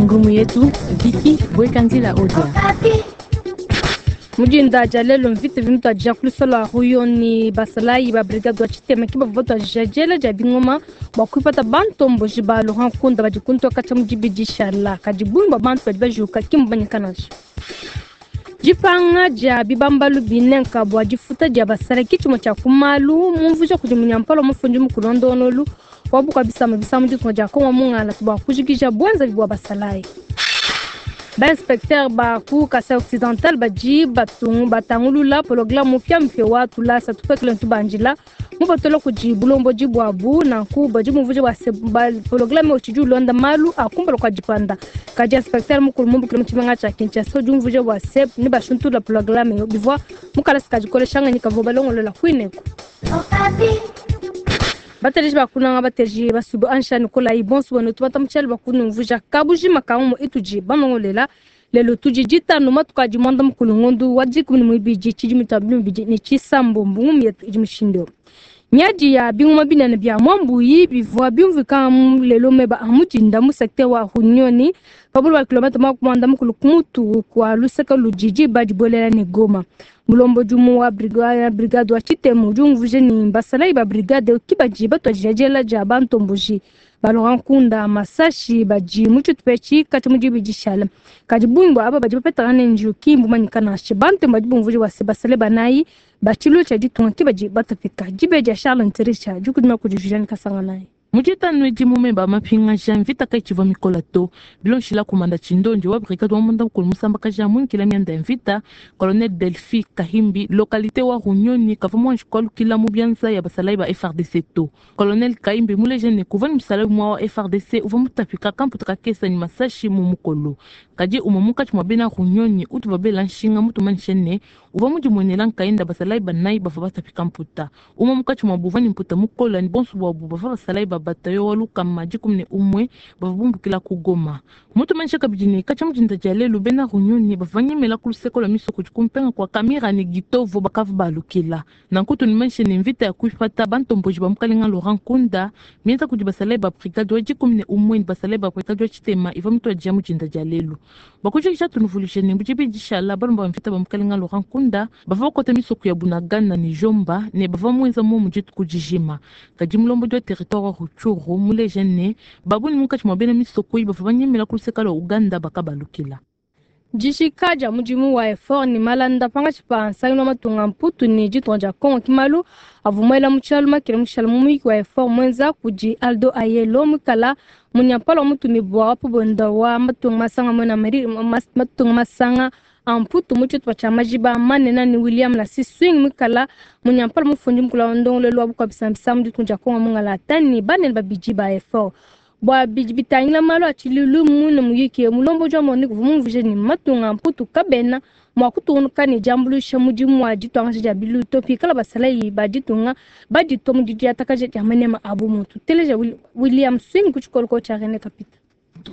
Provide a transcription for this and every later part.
Ngumu yetu Vicky Bwekanzila Odia. Mu dinda dia lelu mvita ivua mituadija ku luseke lua Ruyoni. Basalayi ba brigade wa tshitema ke bavua batuadija diela dia bingoma bua kuipata bantomboji ba Laurent Nkunda badi ku ntoka tshia mu dibidi dishala. Kadi bungi bua bantu badi bajuka ki mbumanyika nansha. Dipanga dia bibambalu binenka bua difuta dia basalayi ke tshimue tshia ku malu mumvuija kudi munyampala wa mufundi mukulu wa ndongoluelu wa bukua bisamba bisa mu ditunga dia Congo Mungala bua kujikija buenzavi bua basalayi. Ba inspecteur ba ku Kasai Occidental badi batangulula pologramme mupiamupia wa tulasa tupekele ne tubandila mupatula kudi bulombodi buabu. Nanku badi bumvuija bua se pologramme utshidi ulonda malu a kumpala kua dipanda. Kadi inspecteur mukulu mumbukile mu tshimenga tshia Kinshasa udi umvuija bua se nebashintulula pologramme eu bivua mu kalasa ka dikolesha ngenyi kavua balongolola kuineku. Bateleji ba kunanga bateleji basubu ansha nikolayi bonso benu tubata mu tshialu bua kunumvuija kabujima ka ngumu itudi banongolela lelu. Tudi ditanu matuku adi muanda mukulu ngondu wa 12 tshidimu tshia 2026. Ngumu yetu idi mushindu eu. Miadi ya bingoma binene bia mwambuyi bivua biumvuika lelo meba a mudinda mu secteur wa Runyoni pa bule bua kilomètre 40 ku mutu kua luseke ludi diba dibuelela ne Goma. Mulombodi umue wa brigade wa tshitema udi umvuija ne basalayi ba brigade ke badi batuadija diela dia bantomboji ba Laurent Nkunda masashi badi mu tshitupa etshi katshia mu dibidi dishala. Kadi bungi bua aba badi bapetangana ne njiwu ki mbumanyika nansha. Bantemu badi bumvuija bua se basalayi banayi ba tshiluilu tshia ditunga ke badi batapika. Dibeji dia Charles Ntirisha dikudima kudi Julienne Kasanganayi. Mu ditanu edi mu meba a mapingaja mvita kayitshivua mikola to. Bilondeshila komanda Tshindonji wa brigade wa munda mukulu musambakaja muinkila mianda ya mvita, colonel Delphi Kahimbi, localite wa Runyoni kavua muanji kualukila mu bianza ya basalayi ba FARDC to. Colonel Kahimbi muleja ne kuvua ne musalayi umue wa FARDC uvua mutapika kamputa kakesa ne masashi mu mukolo. Kadi umue munkatshi mua bena Runyoni utuvua bela nshinga mutumanyishe ne uvua mudimuenela nkayenda basalayi banayi bavua batapika mputa. Umue munkatshi muabu uvua ne mputa mukola ne bonso buabu bavua basalayi ba batayo wa 111 bavua bumbukila ku Goma. Mutumanyishe kabidi ne katshia mu dinda dia lelu bena Runyoni bavua banyemela ku luseke lua misoko idi kumpenga kua Kamira ne Gitovo bakavua balukila. Nanku tunumanyishe ne mvita ya kuipata bantomboji ba mukalenga Laurent Nkunda mienza kudi basalayi ba brigade wa 11 ne basalayi ba brigade wa tshitema ivua mituadija mu dinda dia lelu. Bua kujikija tunuvuluije ne mu dibidi dishala balomba ba mvita ba mukalenga Laurent Nkunda bavua bakuata misoko ya Bunagana ne Jomba ne bavua muenza momu dituku dijima. Kadi mulombodi wa territoire wa Rutshuru muleja ne babunyi munkatshi mua bena misoko iyi bavua banyemela ku luseke lua Uganda bakabalukila. Dijika dia mudimu wa effort ne malanda pankatshi pa nsangilu wa matunga Mputu ne ditunga dia Congo ke malu avua muela mu tshialu makele mushala mu muyiki wa effort muenza kudi Aldo Ayelo muikala munyampala wa mutumibua wa pabunda wa matunga masanga muena Amerika matunga masanga a Mputu mu tshitupa tshia majiba manene ne William Lassie Swing muikala munyampala mufundi mukulu wa ndongoluelu wa bukua bisamba mu ditunga dia Congo mungalata ne banene babidi ba effort. Bua bidi bitangila malu a tshiluilu muine muyiki mulombodi wa MONUC uvua mumvuije ne matunga a Mputu kabena mua kutungunuka ne diambuluisha mudimu wa dituangaja dia biluilu to pikala basalayi ba ditunga baditua mu didiatakaja dia manema a bumuntu. Teleja William Swing ku tshikolokolo tshia Rene Kapita.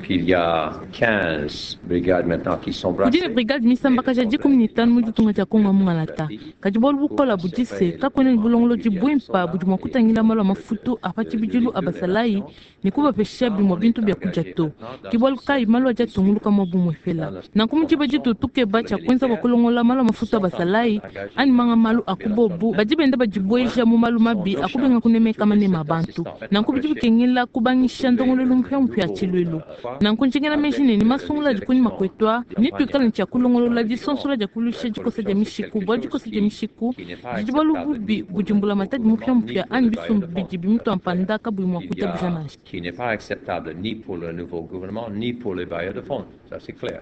Il y a 15 brigades maintenant qui sont Kudi ne brassées. brigade misambakaja 15 mu ditunga dia Congo mungalata. Kadi bualu bukola budi se kakuena ne bulongolodi buimpa budi mua kutangila malu a mafutu a pa tshibidilu a basalayi ne kubapesha bimue bintu bia kudia to. Ke bualu kayi malu adi atunguluka mua bumue fela. Nanku mu diba ditu tukeba tshia kuenza bua kulongola malu a mafutu a basalayi anyi manga malu a kubobu badi benda badibueja mu malu mabi a kubenga kunemeka manema a bantu. Nanku bidi bikengela kubangisha ndongoluelu mupiamupia tshiluilu. Nanku njingela meji ne ni masungula adi kunyima kuetu ne tuikale ne tshia kulongolola disonsola dia kuluisha dikosa dia mishiku bua dikosa dia mishiku didi bualu bubi budi mbulamatadi mupiamupia anyi bisumbu bidi bimutua mpanda kabuyi mua kuitabuja nansha. Qui n'est pas acceptable ni pour le nouveau gouvernement ni pour les bailleurs de fonds. Ça, c'est clair.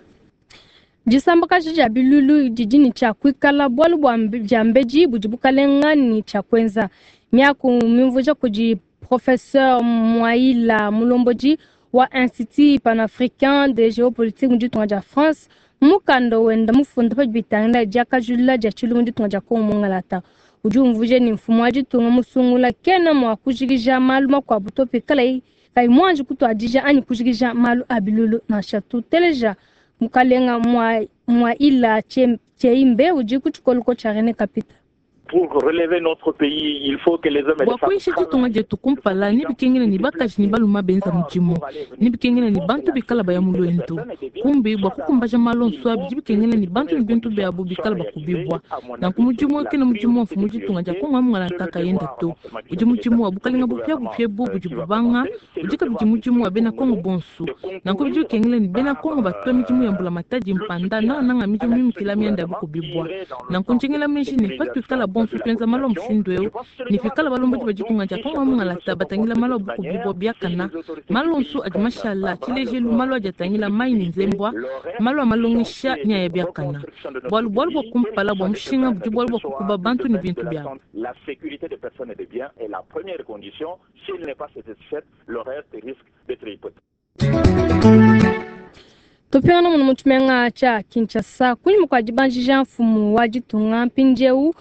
Disambakaja dia biluilu didi ne tshia kuikala bualu bua dia mbedi budi bukalenga ne tshia kuenza. Miaku mimvuija kudi professeur Mwaila mulombodi wa Institut panafricain de géopolitique mu ditunga dia France mukanda wenda mufunda pa bitangila diakajulula dia tshiluilu mu ditunga dia Congo mungalata. Udi umvuija ne mfumu wa ditunga musungula kena mua kujikija malu makuabu to pikalaye kayi muanji kutuadija anyi kujikija malu a biluilu nansha. Tuteleja mukalenga Mwaila Tcheimbe udi ku tshikoloko tshia Rene Kapita. Pour relever notre pays, il faut que les hommes et les Bua femmes kuyisha ditunga dietu kumpala nebikengele ne bakaji ne baluma benza mudimu, nebikengele ne bantu bikala baya mu luendu. Kumbi bua kukumbaja malu onso abi bidi bikengele ne bantu ne bintu biabu bikala bakubibua. Nanku mudimu eu kena mudimu wa mfumu ditunga dia Kongo wa mungalata kayenda to, udi mudimu wa bukalenga bupiabupia ebu budi bubanga, udi kabidi mudimu wa bena Kongo bonso. Nanku bidi bikengele ne bena Kongo batua midimu ya mbulamatadi mpanda nangananga midimu mimikila mianda ya bukubibua. Nanku njingila meji ne patuikala bonso tuenza malu a mushindu eu, ne pikala balombodi ba ditunga dia Kongo wa mungalata batangila malu a bukubibua biakana, malu onso adi mashala, tshilejelu malu adi atangila mayi ne nzembua, malu a malongesha ne aya biakana. Bualu bualu bua kumpala bua mushinga budi bualu bua kukuba bantu ne bintu biabu. La sécurité des personnes et des biens est la première condition. S'il n'est pas satisfaite, le reste risque d'être hypothéqué. Tupingana muno mu tshimenga tshia Kinshasa kunyima kua dibanjija mfumu wa ditunga mpindieu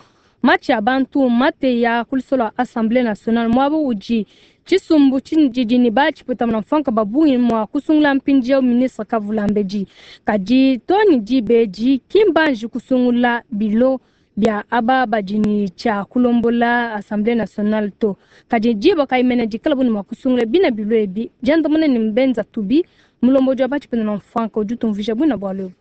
matshi a bantu mateya ku lusolo lua Assemblée nationale muaba udi tshisumbu tshididi ne batshiputamuna mfanka ba bungi mua kusungula mpindieu ministre Kavulambedi. Kadi to ne diba edi ki mbanji kusungula bilo bia aba badi ne tshia kulombola Assemblée nationale to. Kadi diba kayimene dikala bu ne mua kusungula bina bilo ebi diandamuna ne mbenza tubi mulombodi wa batshipenda mfanka udi utumvuija buina bualu ebu.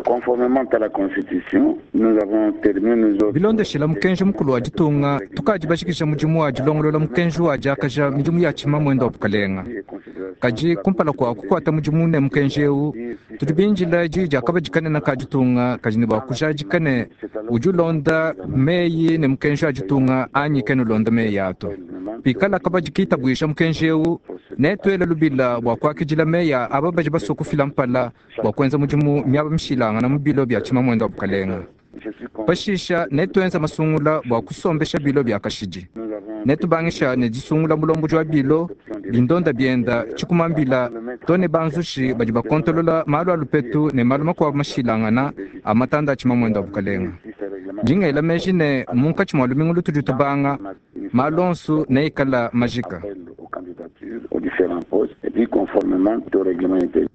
Conformément à la Constitution, nous avons terminé nos autres. Bilondeshela mukenji mukulu wa ditunga tukadi bashikisha mudimu wa dilongolola mukenji wa diakaja midimu ya tshima mwenda wa bukalenga. Kadi kumpala kua kukuata mudimu ne mukenji eu tudi binjila diyi dia kabadi kanene ka ditunga kadi ne bua kujadika ne udi ulonda meyi ne mukenji wa ditunga anyi kena ulonda meyi ato. Pikala kabadi kitabuisha mukenji eu netuele lubila bua kuakidila meyi aba badi basue kufila mpala bua kuenza mudimu miaba mishilangana mu bilo bia tshima mwenda wa bukalenga. Pashisha netuenza masungula bua kusombesha bilo bia kashidi. Netubangisha ne disungula mulombodi wa bilo bindonda bienda tshikumambila to ne banzushi badi bakontolola malu a lupetu ne malu makuabu mashilangana a matanda a tshima mwenda wa bukalenga. Ndingela meji ne munkatshi mua lumingu lutudi tubanga malu onso neikala majika. Aux différents postes et puis conformément au règlement intérieur.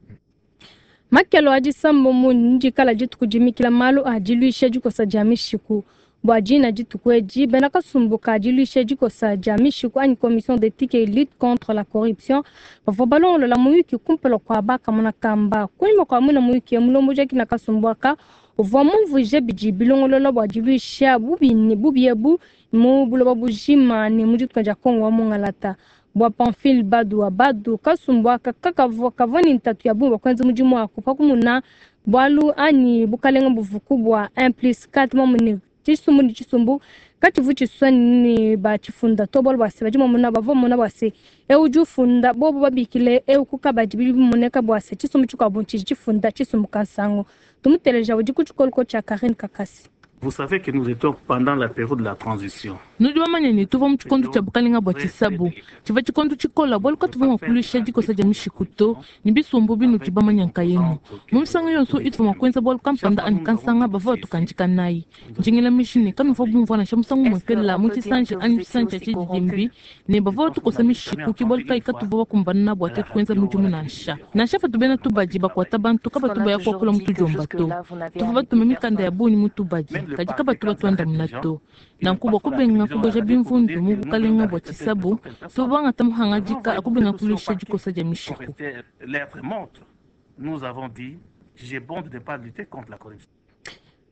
Makelo a disambo mu ndikala dituku dimikila malu a diluisha dikosa dia mishiku. Bua dina dituku edi bena kasumbu ka diluisha dikosa dia mishiku anyi commission d'éthique et lutte contre la corruption bavua balongolola muyuki kumpala kua bakamona kamba. Kunyima kua muina muyuki mulombodi akina kasumbu aka uvua mumvuije bidi bilongolola bua diluisha bubi ebu mu buloba bujima ne mu ditunga dia Kongo wa mungalata. Bua Pamphile Badu wa Badu kasumbu aka kakavua kavua ne ntatu ya bungi bua kuenza mudimu wako pakumuna bualu anyi bukalenga buvuku bua 1+4 mamune tshisumbu ne tshisumbu katshivu tshisua ne batshifunda to bualu bua se badi mamuna bavua mamuna bua se eu udi ufunda bobo babikile eu kukabadi bidi bimoneka bua se tshisumbu tshikuabu tshidi tshifunda tshisumbu kansango. Tumuteleja udi ku tshikoloko tshia Karine Kakasi. Vous savez que nous étions pendant la période de la transition. Nudi bamanye ne tuvua mu tshikondo tshia bukalenga bua tshisabu tshivua tshikondo tshikola bualu katuvua mua kuluisha dikosa dia mishiku to ne bisumbu binudi bamanya nkayenu. Mu misangu yonso ituvua mua kuenza bualu kampanda anyi kansanga bavua batukandika nayi. Njingila meji ne kanuvua bumvua nansha musangu umue mu tshisanji anyi tshisanji tshia tshididimbi ne bavua batukosa mishiku ke bualu kayi katuvua bakumbana bua tuetu kuenza mudimu nansha. Nansha patu bena tubadi bakuata bantu kabatu baya kuakula mu tudiomba to. Tuvua batume mikanda ya bungi mu tubadi kadi kabatu batuandamuna to. Nanku bua kubenga kuboja bimvundu mu bukalenga bua tshisabu tuvua bangata muhangadika akubenga kuluisha dikosa dia mishiku. Nous avons dit, j'ai bon de ne pas lutter contre la corruption.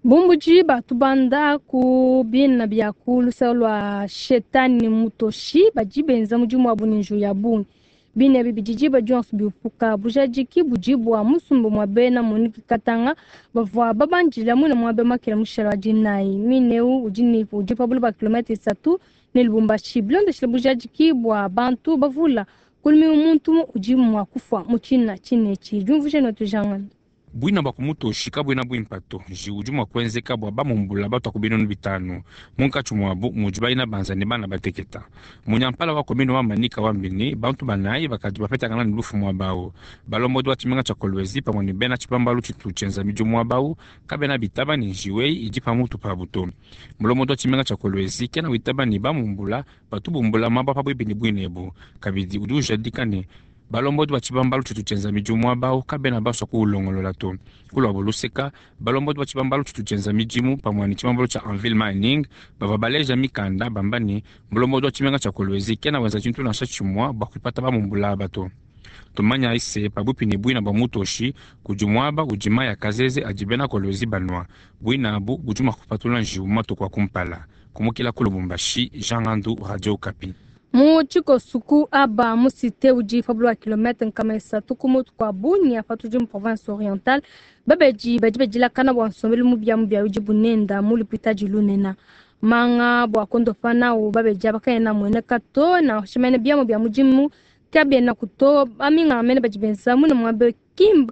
Bumbuji batubanda ku bina bia ku lusalo lua shetani mutoshi badi benza mudimu wabu ne nju ya bungi. Bina ebi bidi diba dionso biupuka bujadiki budi bua musumba mua bena Monique Katanga bavua babandila muina muabe makela mushala wa dinayi. Mineu udi ne udi pa buloba kilomètre isatu ne Lubumbashi. Bilondeshile bujadiki bua bantu bavula kulumi muntu udi mua kufua mu tshina tshinetshi. Diumvuija ne tujangana. Bwina bwa kumutoshi kabwina bwimpa to nji udi mua kuenzeka bua bamumbula batua ku binunu bitanu munkatshi muabu mudi bayina banza ne bana bateketa. Munyampala wa komine wa Manika wambini bantu banayi bakadi bapetangana ne lufu muaba balombodi wa tshimenga tshia Kolwezi pamue ne bena tshibambalu tshitu tshienza midimu muaba awu kabena bitaba ne njiwe idi pamutu pabu to. Mulombodi wa tshimenga tshia Kolwezi kena witaba ne bamumbula batu bumbula maba pabuipi ne bwina ebu kabidi udi ujadika ne Balombodi ba tshibambalu tshitu tshienza midimu muaba awu kabena basua kuwulongolola to. Ku luabu luseka, balombodi ba tshibambalu tshitu tshienza midimu pamue ne tshibambalu tshia Anvil Mining bavua baleja mikanda bamba ne, mulombodi wa tshimenga tshia Kolwezi kena wenza tshintu nansha tshimue bua kuipata bamumbula aba to. Tumanyayi se, pabuipi ne buina bua Mutoshi kudi muaba udi mayi a kazeze adi bena Kolwezi banua. Buina abu budi mua kupatula njiwu mu matuku a kumpala. Kumukila ku Lubumbashi, Jean Ngandu, Radio Okapi. Mu tshikosuku aba mu cite udi pa bula kilometre 300 ku mutu kua Bunia patudi mu province orientale, babedi badi badilakana bua nsombelu mubiamubia udi bunenda mu lupitadi lunena. Manga bua kondopa nawu babedi aba kaena amueneka to, nansha mene biamu bia mudimu kabienaku to. Baminganga mene badi benza muine muaba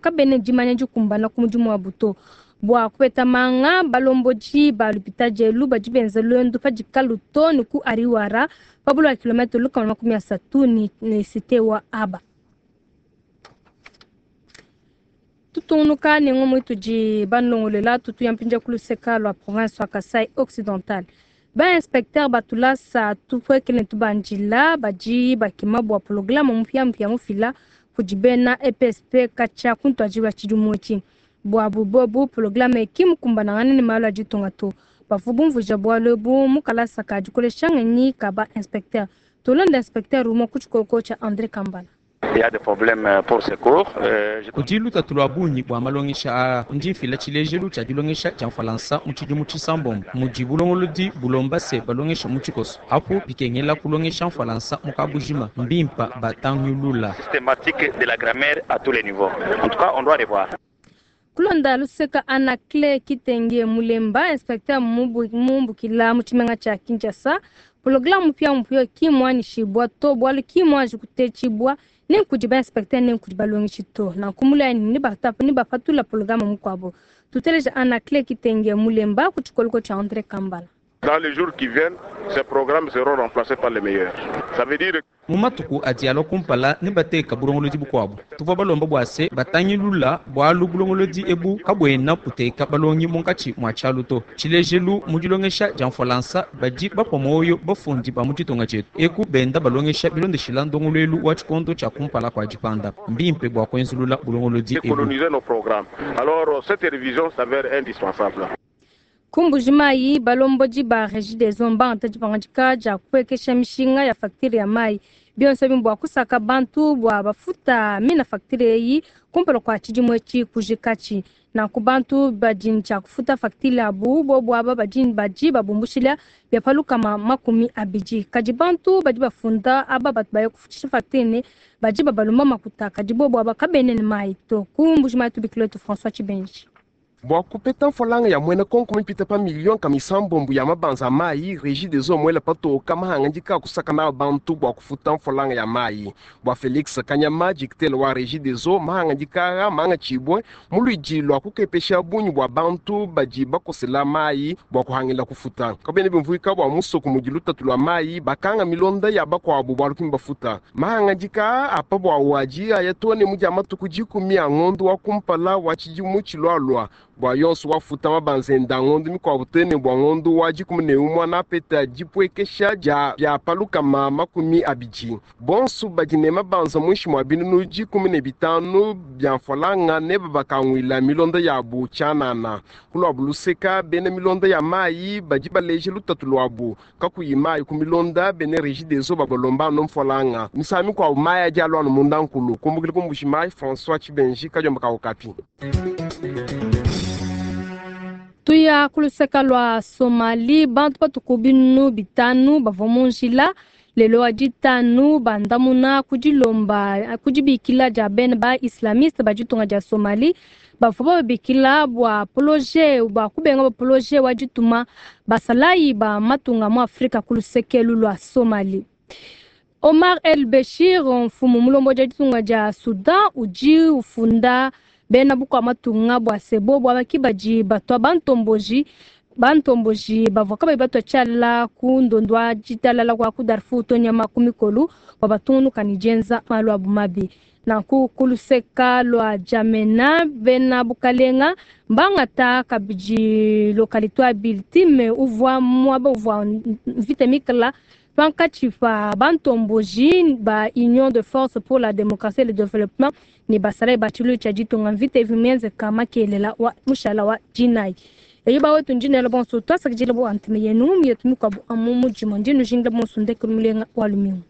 kabena ne dimanya dikumbana ku mudimu wabu to. Bua kupeta manga, balombodi ba lupitadi elu badi benza luendu pa dikalu to ne ku Ariwara pa bula kilometre 130 ne cite wa Aba. Tutungunuka ne ngumu itudi banulongoluela, tutuya mpindieu ku luseka lua province wa Kasai Occidental. Ba inspecteur ba tulasa tupuekele ne tubandila badi bakema bua programme mupiamupia mufila kudi bena EPSP katshia ku ntuadijilu wa tshidimu etshi. Buabu bobu programme ki mukumbanangane ne malu a ditunga to. Bavua bumvuija bualu ebu mu kalasa ka dikolesha ngenyi ka ba inspecteur. Tulonde inspecteur umue ku tshikoko tshia Andre Kambala. Kudi lutatu lua bungi bua malongesha aa. Ndi mfila tshilejelu tshia dilongesha dia mfualansa mu tshidimu tshisambombo mudi bulongolodi bulomba se balongesha mu tshikoso. Apu bikengela kulongesha mfualansa mu kabujima, mbimpa batangulula. Kulonda luseka Anacle Kitenge Mulemba, inspecteur mumbukila mu tshimenga tshia Kinshasa, programme mupiamupia ki muanyishibua to bualu ki muanji kutetshibua ne nkudi ba inspecteur ne nkudi balongeshi to. Nanku mulayi ne bapatula programme mukuabu. Tuteleja Anacle Kitenge Mulemba ku tshikoloko tshia Andre Kambala. Dans les jours qui viennent, ces programmes seront remplacés par les meilleurs. Ça veut dire Mu matuku adi alua kumpala ne bateka bulongolodi bukuabu. Tuvua balomba bua se batangilula bualu bulongolodi ebu kabuena buteka balongi munkatshi mua tshialu to. Tshilejelu mu dilongesha dia mfualansa badi bapua muoyo bafundi ba mu ditunga dietu eku benda balongesha bilondeshila ndongoluelu wa tshikondo tshia kumpala kua dipanda. Mbimpe bua kuenzulula bulongolodi ebu. Décoloniser nos programmes. Alors cette révision s'avère indispensable. Ku Mbuji-Mayi, balombodi ba Regideso mbangata dipangadika dia kupuekesha mishinga ya facture ya mayi. Bionso ebi mbua kusaka bantu bua bafuta mina facture eyi kumpala kua tshidimu etshi kujikatshi. Nanku bantu badi ne tshia kufuta facture abu bobu aba badi badi babumbushila bia pa 20. Kadi bantu badi bafunda aba batu baya kufutshisha facture ne badi babalomba makuta, kadi bobu aba kabena ne mayi to. Ku Mbuji-Mayi tubikile wetu François Tshibenji. Bua kupeta mfualanga ya muena konko mipite pa miliyoni 60 ya mabanza a mayi, Regideso muele patoka mahangadika kusaka nawu bantu bua kufuta mfualanga ya mayi. Bua Felix Kanyama, dikitele wa Regideso, mahangadika aa mangatshibue mu luidi lua kukepesha bungi bua bantu badi bakosela mayi bua kuhangila kufuta. Kabiena bimvuika bua musoko mudi lutatu lua mayi bakanga milonda ya bakuabu bualu ki mbafuta. Mahangadika aa a pa buawu adi aya too ne mu dia matuku 10 a ngondo wa kumpala wa tshidimu tshilualua. Bua yonso wafuta mabanza enda ngondo mikuabu too ne bua ngondo wa 11 napeta dipuekesha dia bia pa 20. Bonso badi ne mabanza muinshi mua binunu 15 bia mfualanga ne babakanguila milonda yabu tshianana. Ku luabu luseka, bena milonda ya mayi badi baleja lutatu luabu. Kakuyi mayi ku milonda, bena Regideso babalomba anu mfualanga. Misangu mikuabu mayi adi alua anu munda nkulu. Kumbukila ku Mbuji-Mayi, François Tshibenji, kadiomba ka Okapi. Tuya ku luseka lua Somalie, bantu batuku binunu 5 bavua mu njila lelo wa ditanu bandamuna ku dilomba ku dibikila dia bena ba islamiste ba ditunga dia Somalie bavua bababikila bua projet bua kubenga ba projet wa dituma basalayi ba matunga mu Afrika ku lusekelu lua Somalie. Omar El Bashir, mfumu mulombodi wa ditunga dia Soudan, udi ufunda bena bukua matunga bua se bobu aba ki badi batua bantomboji bavua kabayi batua tshiala ku ndondo wa ditalala kua ku Darfur to nyama ku mikolu bua batungunuka ne dienza malu abu mabi. Nanku ku luseka lua Djamena, bena bukalenga mbangata kabidi lokalite wa Biltime uvua muaba uvua mvita mikala Pankatshi pa bantomboji ba Union de force pour la democratie et le développement ne basalayi ba tshiluilu tshia ditunga mvita ivi mienzeka makelela wa mushala wa dinayi. Eyi bawetu ndi nela bonso tuasakidila bua ntema yenu mietu mikuabu amu mu dimue ndi nujingila bonso ndekelu mulenga wa lumingu.